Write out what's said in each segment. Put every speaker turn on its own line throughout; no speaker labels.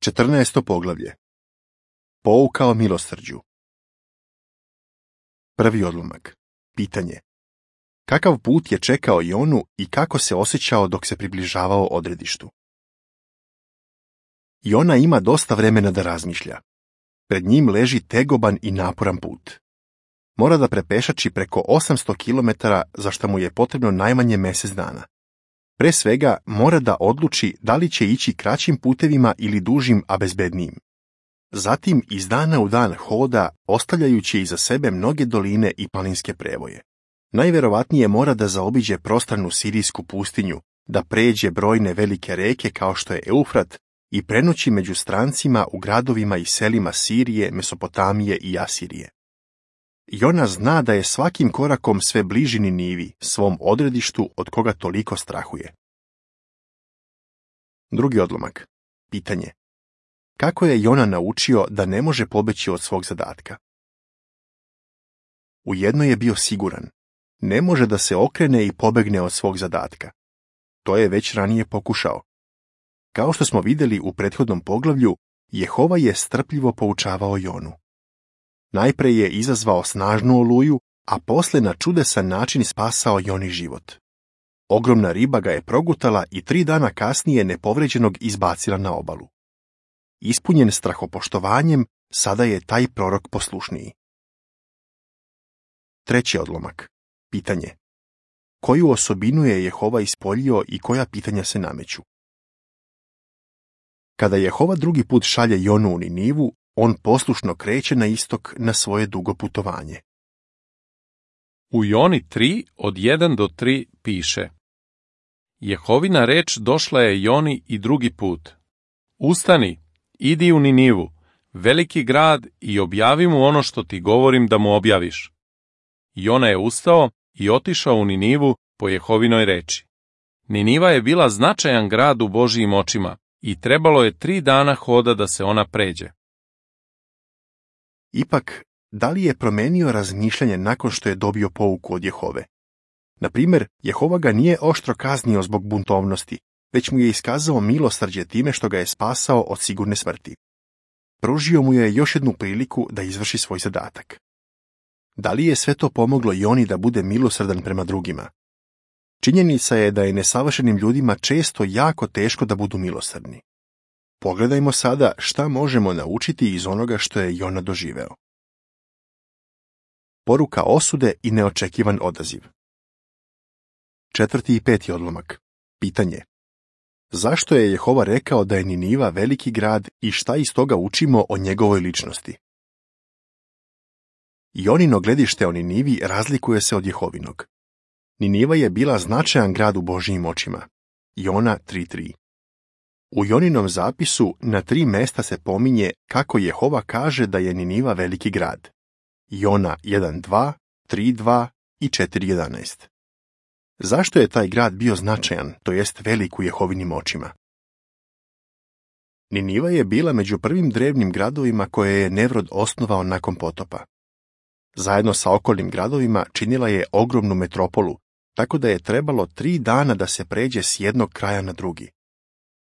14. poglavlje. Pouka o milosrđu. Prvi odlomak. Pitanje. Kakav put je čekao Jonu i kako se osjećao dok se približavao odredištu? Jona ima dosta vremena da razmišlja. Pred njim leži tegoban i naporan put. Mora da prepešači preko 800 km, za što mu je potrebno najmanje mjesec dana. Pre svega mora da odluči da li će ići kraćim putevima ili dužim, a bezbednijim. Zatim iz dana u dan hoda, ostavljajući iza sebe mnoge doline i planinske prevoje. Najverovatnije mora da zaobiđe prostranu sirijsku pustinju, da pređe brojne velike reke kao što je Eufrat i prenoći među strancima u gradovima i selima Sirije, Mesopotamije i Asirije. Jona zna da je svakim korakom sve bliži Ninivi, svom odredištu od koga toliko strahuje. Drugi odlomak. Pitanje. Kako je Jona naučio da ne može pobeći od svog zadatka? U jedno je bio siguran. Ne može da se okrene i pobegne od svog zadatka. To je već ranije pokušao. Kao što smo vidjeli u prethodnom poglavlju, Jehova je strpljivo poučavao Jonu. Najpre je izazvao snažnu oluju, a posle na čudesan način spasao Joni život. Ogromna riba ga je progutala i 3 dana kasnije nepovređenog izbacila na obalu. Ispunjen strahopoštovanjem, sada je taj prorok poslušniji. Treći odlomak. Pitanje. Koju osobinu je Jehova ispoljio i koja pitanja se nameću? Kada Jehova drugi put šalje Jonu u Ninivu, on poslušno kreće na istok na svoje dugo putovanje.
U Joni 3 od 1 do 3 piše: Jehovina reč došla je Joni i drugi put. Ustani, idi u Ninivu, veliki grad, i objavi mu ono što ti govorim da mu objaviš. Jona je ustao i otišao u Ninivu po Jehovinoj reči. Niniva je bila značajan grad u Božijim očima i trebalo je 3 dana hoda da se ona pređe.
Ipak, da li je promenio razmišljanje nakon što je dobio pouku od Jehove? Na primjer, Jehova ga nije oštro kaznio zbog buntovnosti, već mu je iskazao milosrđe time što ga je spasao od sigurne smrti. Pružio mu je još jednu priliku da izvrši svoj zadatak. Da li je sve to pomoglo Joni da bude milosrdan prema drugima? Činjenica je da je nesavršenim ljudima često jako teško da budu milosrdni. Pogledajmo sada šta možemo naučiti iz onoga što je Jona doživeo. Poruka osude i neočekivan odaziv. 4. i 5. odlomak. Pitanje. Zašto je Jehova rekao da je Niniva veliki grad i šta iz toga učimo o njegovoj ličnosti? Jonino gledište o Ninivi razlikuje se od Jehovinog. Niniva je bila značajan grad u Božijim očima. Jona 3.3. U Joninom zapisu na 3 mesta se pominje kako Jehova kaže da je Niniva veliki grad. Jona 1.2, 3.2 i 4.11. Zašto je taj grad bio značajan, to jest velik u Jehovinim očima? Niniva je bila među prvim drevnim gradovima koje je Nevrod osnovao nakon potopa. Zajedno sa okolnim gradovima činila je ogromnu metropolu, tako da je trebalo 3 dana da se pređe s jednog kraja na drugi.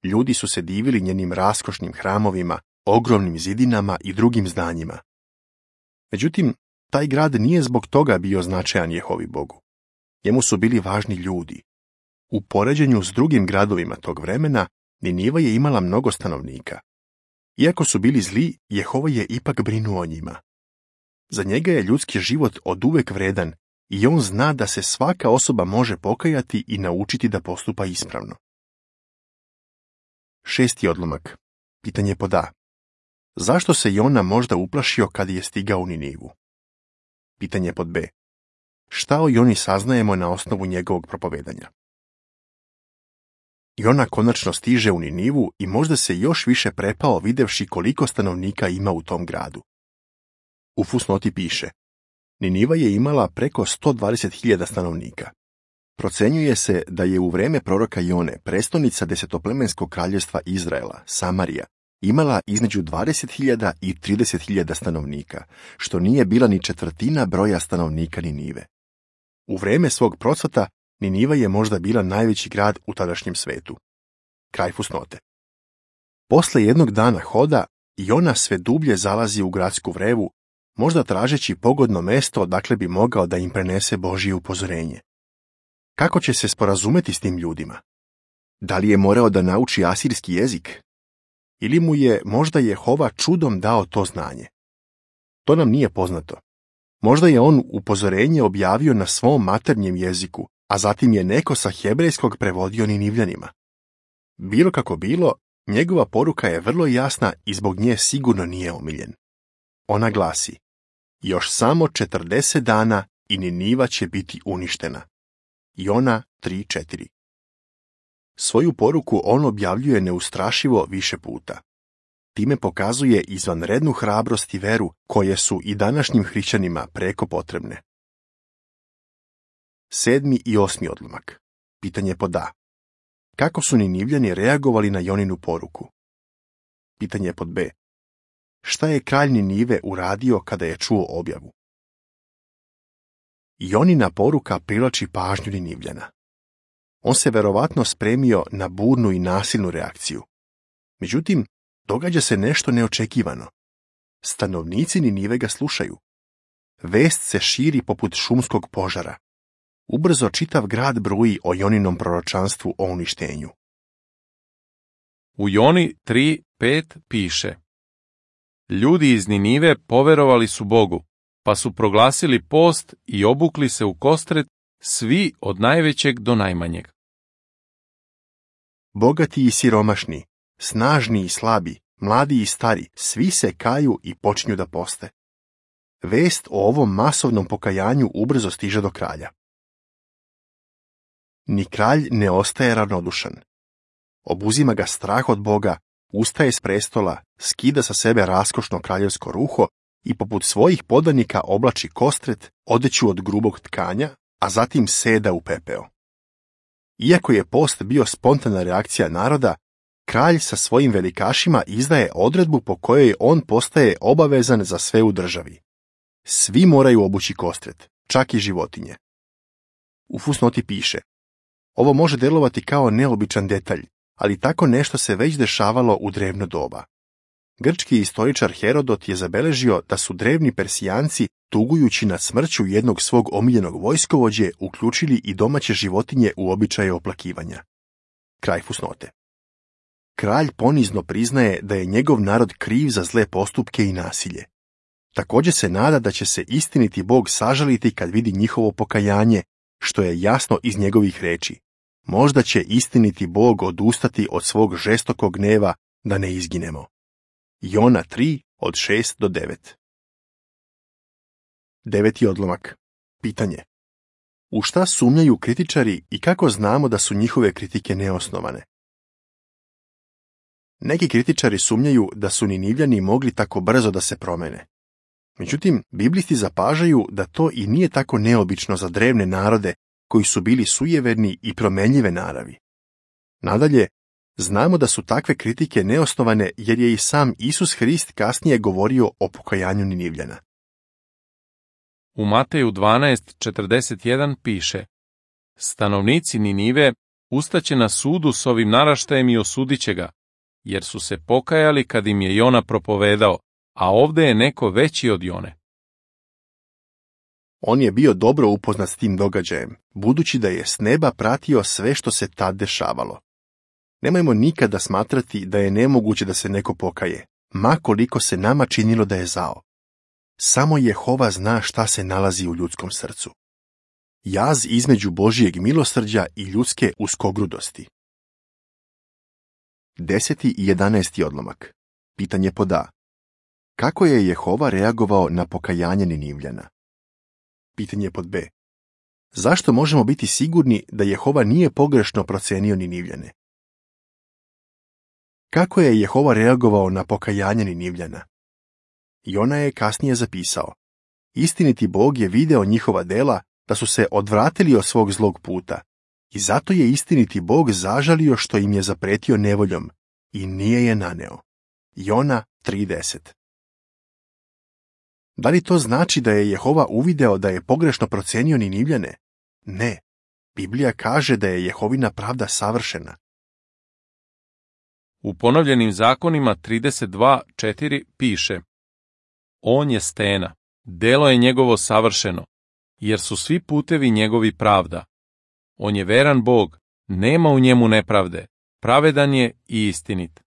Ljudi su se divili njenim raskošnim hramovima, ogromnim zidinama i drugim zdanjima. Međutim, taj grad nije zbog toga bio značajan Jehovi Bogu. Njemu su bili važni ljudi. U poređenju s drugim gradovima tog vremena, Niniva je imala mnogo stanovnika. Iako su bili zli, Jehova je ipak brinuo o njima. Za njega je ljudski život oduvek vredan i on zna da se svaka osoba može pokajati i naučiti da postupa ispravno. 6. odlomak. Pitanje pod A. Zašto se Jona možda uplašio kad je stigao u Ninivu? Pitanje pod B. Šta o Joni saznajemo na osnovu njegovog propovedanja? Jona konačno stiže u Ninivu i možda se još više prepao videvši koliko stanovnika ima u tom gradu. U fusnoti piše: Niniva je imala preko 120.000 stanovnika. Procenjuje se da je u vreme proroka Jone prestonica desetoplemenskog kraljevstva Izraela, Samarija, imala između 20.000 i 30.000 stanovnika, što nije bila ni četvrtina broja stanovnika Ninive. U vreme svog procvata Niniva je možda bila najveći grad u tadašnjem svetu. Kraj fusnote. Posle jednog dana hoda, Jona sve dublje zalazi u gradsku vrevu, možda tražeći pogodno mesto odakle bi mogao da im prenese Božje upozorenje. Kako će se sporazumeti s tim ljudima? Da li je morao da nauči asirski jezik? Ili mu je možda Jehova čudom dao to znanje? To nam nije poznato. Možda je on upozorenje objavio na svom maternjem jeziku, a zatim je neko sa hebrejskog prevodio Ninivljanima. Bilo kako bilo, njegova poruka je vrlo jasna i zbog nje sigurno nije omiljen. Ona glasi: još samo 40 dana i Niniva će biti uništena. Jona 3:4. Svoju poruku on objavljuje neustrašivo više puta. Time pokazuje izvanrednu hrabrost i veru koje su i današnjim hrišćanima preko potrebne. 7. i 8. odlomak. Pitanje pod A. Kako su Ninivljani reagovali na Joninu poruku? Pitanje pod B. Šta je kralj Ninive uradio kada je čuo objavu? Jonina poruka privlači pažnju Ninivljana. On se verovatno spremio na burnu i nasilnu reakciju. Međutim, događa se nešto neočekivano. Stanovnici Ninive ga slušaju. Vest se širi poput šumskog požara. Ubrzo čitav grad bruji o Joninom proročanstvu o uništenju.
U Joni 3:5 piše: ljudi iz Ninive poverovali su Bogu, pa su proglasili post i obukli se u kostret, svi od najvećeg do najmanjeg.
Bogati i siromašni, snažni i slabi, mladi i stari, svi se kaju i počinju da poste. Vest o ovom masovnom pokajanju ubrzo stiže do kralja. Ni kralj ne ostaje ravnodušan. Obuzima ga strah od Boga, ustaje s prestola, skida sa sebe raskošno kraljevsko ruho i poput svojih podanika oblači kostret, odeću od grubog tkanja, a zatim seda u pepeo. Iako je post bio spontana reakcija naroda, kralj sa svojim velikašima izdaje odredbu po kojoj on postaje obavezan za sve u državi. Svi moraju obući kostret, čak i životinje. U fusnoti piše: ovo može delovati kao neobičan detalj, ali tako nešto se već dešavalo u drevno doba. Grčki istoričar Herodot je zabeležio da su drevni Persijanci, tugujući nad smrću jednog svog omiljenog vojskovođe, uključili i domaće životinje u običaje oplakivanja. Kraj fusnote. Kralj ponizno priznaje da je njegov narod kriv za zle postupke i nasilje. Također se nada da će se istiniti Bog sažaliti kad vidi njihovo pokajanje, što je jasno iz njegovih reči. Možda će istiniti Bog odustati od svog žestokog gneva da ne izginemo. Jona 3:6-9. 9. odlomak. Pitanje. U šta sumnjaju kritičari i kako znamo da su njihove kritike neosnovane? Neki kritičari sumnjaju da su Ninivljani mogli tako brzo da se promene. Međutim, biblisti zapažaju da to i nije tako neobično za drevne narode koji su bili sujeverni i promenljive naravi. Nadalje, znamo da su takve kritike neosnovane jer je i sam Isus Hrist kasnije govorio o pokajanju Ninivljana.
U Mateju 12:41 piše: stanovnici Ninive ustaće na sudu s ovim naraštajem i osudit će ga, jer su se pokajali kad im je Jona propovedao, a ovde je neko veći od Jone.
On je bio dobro upoznat s tim događajem, budući da je s neba pratio sve što se tad dešavalo. Nemojmo nikada smatrati da je nemoguće da se neko pokaje, ma koliko se nama činilo da je zao. Samo Jehova zna šta se nalazi u ljudskom srcu. Jaz između Božijeg milosrđa i ljudske uskogrudosti. 10. i 11. odlomak. Pitanje pod A. Kako je Jehova reagovao na pokajanje Ninivljana? Pitanje pod B. Zašto možemo biti sigurni da Jehova nije pogrešno procenio Ninivljane? Kako je Jehova reagovao na pokajanje Ninivljana? Jona je kasnije zapisao: istiniti Bog je video njihova dela da su se odvratili od svog zlog puta i zato je istiniti Bog zažalio što im je zapretio nevoljom i nije je naneo. Jona 3:10. Da li to znači da je Jehova uvideo da je pogrešno procenio Ninivljane? Ne. Biblija kaže da je Jehovina pravda savršena.
U ponovljenim zakonima 32:4 piše: On je stena, delo je njegovo savršeno, jer su svi putevi njegovi pravda. On je veran Bog, nema u njemu nepravde, pravedan je i istinit.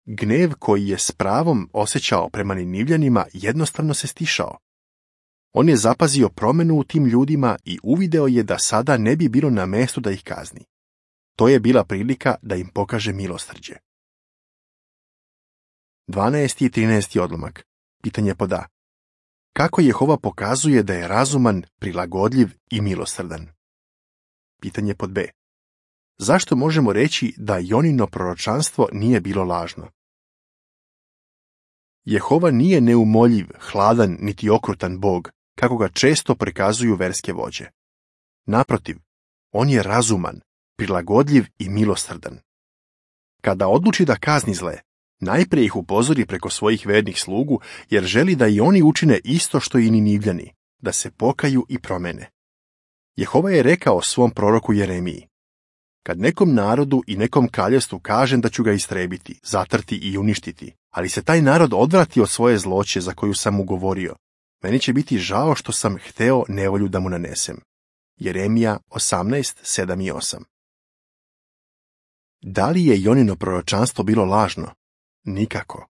Gnev koji je s pravom osjećao prema Ninivljanima jednostavno se stišao. On je zapazio promjenu u tim ljudima i uvideo je da sada ne bi bilo na mestu da ih kazni. To je bila prilika da im pokaže milosrđe. 12. i 13. odlomak. Pitanje pod A. Kako Jehova pokazuje da je razuman, prilagodljiv i milosrdan? Pitanje pod B. Zašto možemo reći da Jonino proročanstvo nije bilo lažno? Jehova nije neumoljiv, hladan niti okrutan Bog, kako ga često prikazuju verske vođe. Naprotiv, on je razuman, prilagodljiv i milosrdan. Kada odluči da kazni zle, najprije ih upozori preko svojih vernih slugu, jer želi da i oni učine isto što i Ninivljani, da se pokaju i promene. Jehova je rekao svom proroku Jeremiji: Kad nekom narodu i nekom kraljevstvu kažem da ću ga istrebiti, zatrti i uništiti, ali se taj narod odvrati od svoje zloće za koju sam mu govorio, meni će biti žao što sam hteo nevolju da mu nanesem. Jeremija 18:7 i 8. Da li je Jonino proročanstvo bilo lažno? Nikako.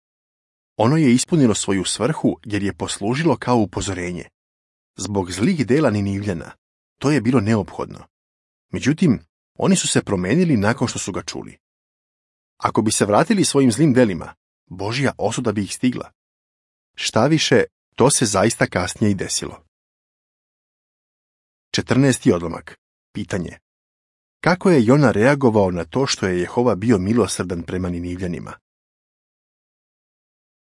Ono je ispunilo svoju svrhu jer je poslužilo kao upozorenje. Zbog zlih dela Ninivljana to je bilo neophodno. Međutim, oni su se promenili nakon što su ga čuli. Ako bi se vratili svojim zlim delima, Božja osuda bi ih stigla. Šta više, to se zaista kasnije i desilo. 14. odlomak. Pitanje. Kako je Jona reagovao na to što je Jehova bio milosrdan prema Ninivljanima?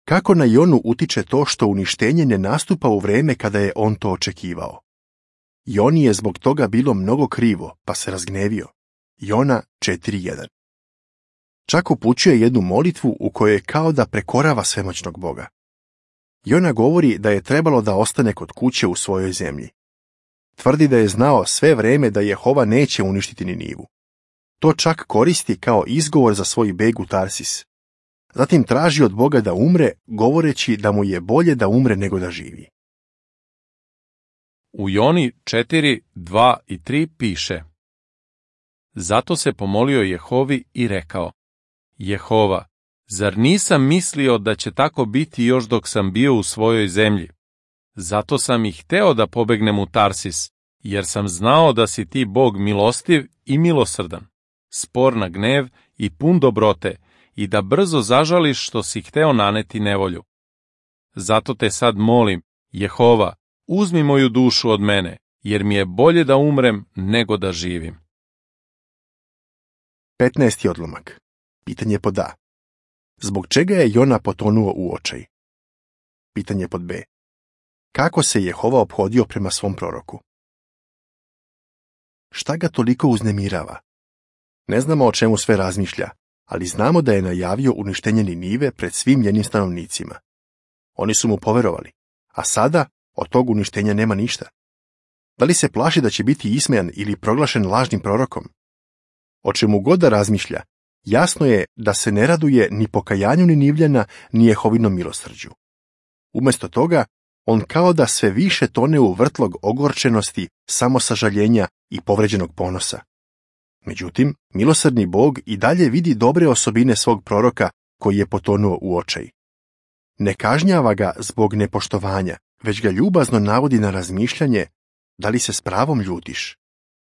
Kako na Jonu utiče to što uništenje ne nastupa u vreme kada je on to očekivao? Joni je zbog toga bilo mnogo krivo, pa se razgnevio. Jona 4:1. Čak upućuje jednu molitvu u kojoj je kao da prekorava svemoćnog Boga. Jona govori da je trebalo da ostane kod kuće u svojoj zemlji. Tvrdi da je znao sve vreme da Jehova neće uništiti Ninivu. To čak koristi kao izgovor za svoj beg u Tarsis. Zatim traži od Boga da umre, govoreći da mu je bolje da umre nego da živi.
U Joni 4:2 i 3 piše: Zato se pomolio Jehovi i rekao: Jehova, zar nisam mislio da će tako biti još dok sam bio u svojoj zemlji? Zato sam i hteo da pobegnem u Tarsis, jer sam znao da si ti Bog milostiv i milosrdan, spor na gnev i pun dobrote, i da brzo zažališ što si hteo naneti nevolju. Zato te sad molim, Jehova, uzmi moju dušu od mene, jer mi je bolje da umrem nego da živim.
15. odlomak. Pitanje pod A. Zbog čega je Jona potonuo u očaj? Pitanje pod B. Kako se Jehova ophodio prema svom proroku? Šta ga toliko uznemirava? Ne znamo o čemu sve razmišlja, ali znamo da je najavio uništenje Ninive pred svim njenim stanovnicima. Oni su mu poverovali, a sada od tog uništenja nema ništa. Da li se plaši da će biti ismejan ili proglašen lažnim prorokom? O čemu god da razmišlja, jasno je da se ne raduje ni pokajanju Ninivljana, ni Jehovinom milosrđu. Umjesto toga, on kao da sve više tone u vrtlog ogorčenosti, samosažaljenja i povređenog ponosa. Međutim, milosrdni Bog i dalje vidi dobre osobine svog proroka koji je potonuo u očaj. Ne kažnjava ga zbog nepoštovanja, već ga ljubazno navodi na razmišljanje: da li se s pravom ljutiš?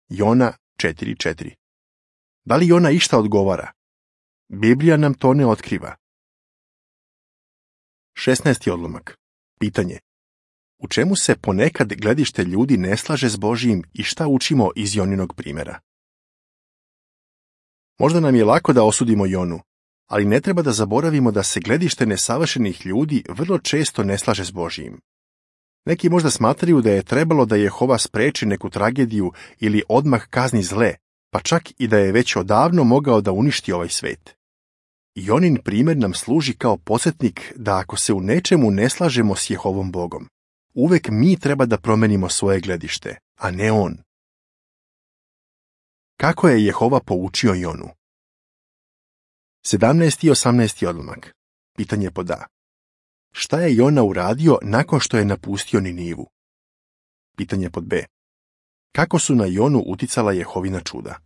Jona 4:4. Da li Jona išta odgovara? Biblija nam to ne otkriva. 16. odlomak. Pitanje. U čemu se ponekad gledište ljudi ne slaže s Božijim i šta učimo iz Joninog primjera? Možda nam je lako da osudimo Jonu, ali ne treba da zaboravimo da se gledište nesavršenih ljudi vrlo često ne slaže s Božijim. Neki možda smatraju da je trebalo da Jehova spreči neku tragediju ili odmah kazni zle, pa čak i da je već odavno mogao da uništi ovaj svet. Jonin primjer nam služi kao podsjetnik da ako se u nečemu ne slažemo s Jehovom Bogom, uvek mi treba da promenimo svoje gledište, a ne on. Kako je Jehova poučio Jonu? 17. i 18. odlomak. Pitanje pod A. Šta je Jona uradio nakon što je napustio Ninivu? Pitanje pod B. Kako su na Jonu uticala Jehovina čuda?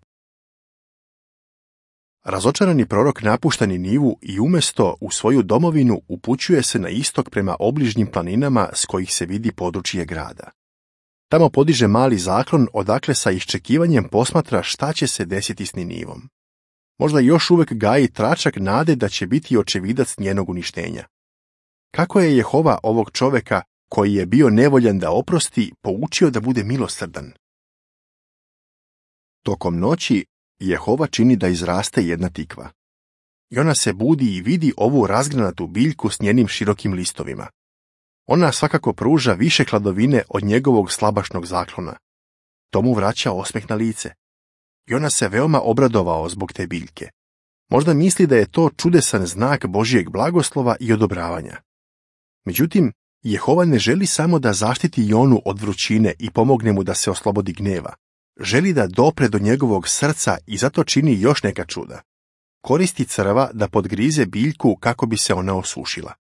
Razočarani prorok napušta Ninivu i umjesto u svoju domovinu upućuje se na istok prema obližnjim planinama s kojih se vidi područje grada. Tamo podiže mali zaklon odakle sa iščekivanjem posmatra šta će se desiti s Ninivom. Možda još uvijek gaji tračak nade da će biti očevidac njenog uništenja. Kako je Jehova ovog čoveka, koji je bio nevoljan da oprosti, poučio da bude milosrdan? Tokom noći Jehova čini da izraste jedna tikva. Jona se budi i vidi ovu razgranatu biljku s njenim širokim listovima. Ona svakako pruža više hladovine od njegovog slabašnog zaklona. To mu vraća osmeh na lice. Jona se veoma obradovao zbog te biljke. Možda misli da je to čudesan znak Božijeg blagoslova i odobravanja. Međutim, Jehova ne želi samo da zaštiti Jonu od vrućine i pomogne mu da se oslobodi gneva. Želi da dopre do njegovog srca i zato čini još neka čuda. Koristi crva da podgrize biljku kako bi se ona osušila.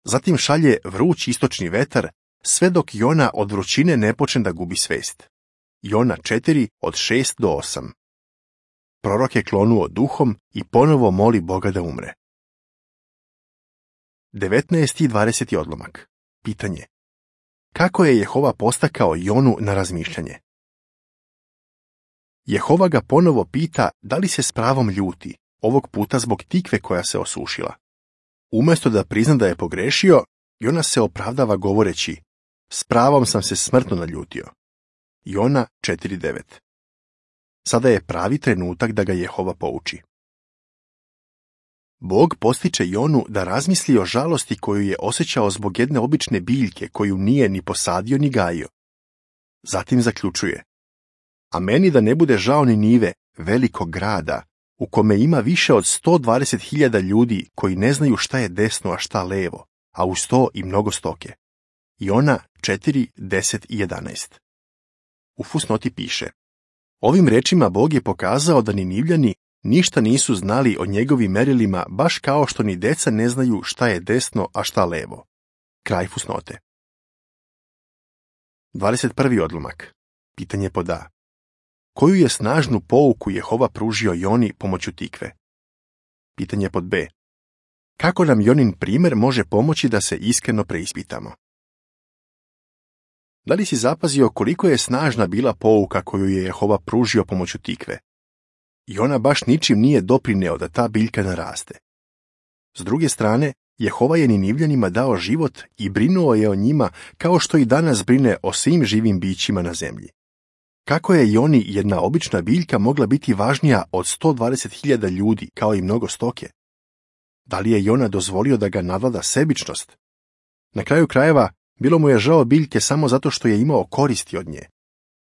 Zatim šalje vruć istočni vetar, sve dok Jona od vrućine ne počne da gubi svest. Jona 4 od 6 do 8. Prorok je klonuo duhom i ponovo moli Boga da umre. 19. i 20. odlomak. Pitanje. Kako je Jehova postakao Jonu na razmišljanje? Jehova ga ponovo pita da li se s pravom ljuti, ovog puta zbog tikve koja se osušila. Umjesto da prizna da je pogrešio, Jona se opravdava govoreći: s pravom sam se smrtno naljutio. Jona 4.9. Sada je pravi trenutak da ga Jehova pouči. Bog postiče Jonu da razmisli o žalosti koju je osjećao zbog jedne obične biljke koju nije ni posadio ni gajio. Zatim zaključuje: a meni da ne bude žao Ninive, velikog grada, u kome ima više od 120.000 ljudi koji ne znaju šta je desno, a šta levo, a uz to i mnogo stoke. Jona 4, 10 i 11. U fusnoti piše: ovim rečima Bog je pokazao da Ninivljani ništa nisu znali o njegovim merilima, baš kao što ni deca ne znaju šta je desno, a šta levo. Kraj fusnote. 21. odlomak. Pitanje pod A. Koju je snažnu pouku Jehova pružio Joni pomoću tikve? Pitanje pod B. Kako nam Jonin primjer može pomoći da se iskreno preispitamo? Da li si zapazio koliko je snažna bila pouka koju je Jehova pružio pomoću tikve? Jona baš ničim nije doprineo da ta biljka naraste. S druge strane, Jehova je Ninivljanima dao život i brinuo je o njima kao što i danas brine o svim živim bićima na zemlji. Kako je Joni jedna obična biljka mogla biti važnija od 120.000 ljudi kao i mnogo stoke? Da li je Jona dozvolio da ga nadvlada sebičnost? Na kraju krajeva, bilo mu je žao biljke samo zato što je imao koristi od nje.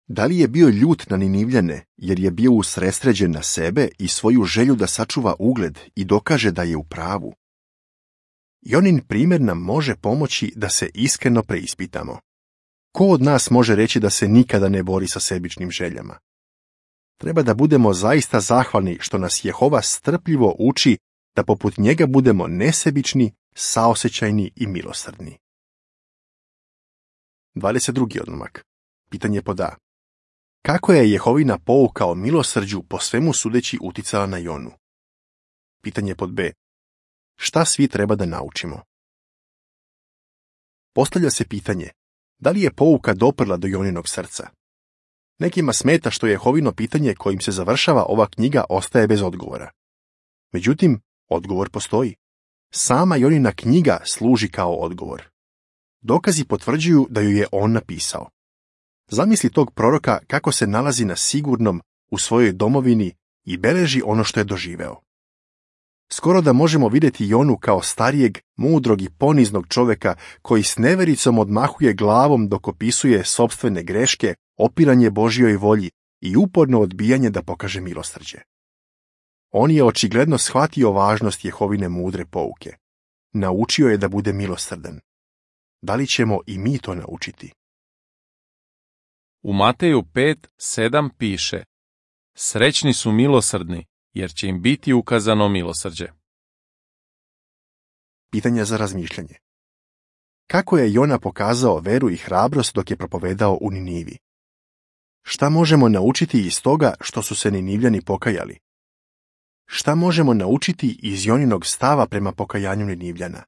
Da li je bio ljut na Ninivljane jer je bio usredsređen na sebe i svoju želju da sačuva ugled i dokaže da je u pravu? Jonin primjer nam može pomoći da se iskreno preispitamo. Ko od nas može reći da se nikada ne bori sa sebičnim željama? Treba da budemo zaista zahvalni što nas Jehova strpljivo uči da poput njega budemo nesebični, saosećajni i milosrdni. 22. odlomak. Pitanje pod A. Kako je Jehovina pouka o milosrđu po svemu sudeći uticala na Jonu? Pitanje pod B. Šta svi treba da naučimo? Postavlja se pitanje: da li je pouka doprla do Joninog srca? Nekima smeta što Jehovino pitanje kojim se završava ova knjiga ostaje bez odgovora. Međutim, odgovor postoji. Sama Jonina knjiga služi kao odgovor. Dokazi potvrđuju da ju je on napisao. Zamisli tog proroka kako se nalazi na sigurnom u svojoj domovini i beleži ono što je doživeo. Skoro da možemo vidjeti Jonu kao starijeg, mudrog i poniznog čoveka koji s nevericom odmahuje glavom dok opisuje sopstvene greške, opiranje Božjoj volji i uporno odbijanje da pokaže milosrđe. On je očigledno shvatio važnost Jehovine mudre pouke. Naučio je da bude milosrdan. Da li ćemo i mi to naučiti?
U Mateju 5:7 piše: srećni su milosrdni, jer će im biti ukazano milosrđe.
Pitanje za razmišljanje. Kako je Jona pokazao veru i hrabrost dok je propovedao u Ninivi? Šta možemo naučiti iz toga što su se Ninivljani pokajali? Šta možemo naučiti iz Joninog stava prema pokajanju Ninivljana?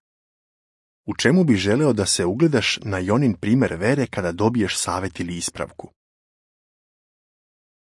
U čemu bi želeo da se ugledaš na Jonin primjer vere kada dobiješ savjet ili ispravku?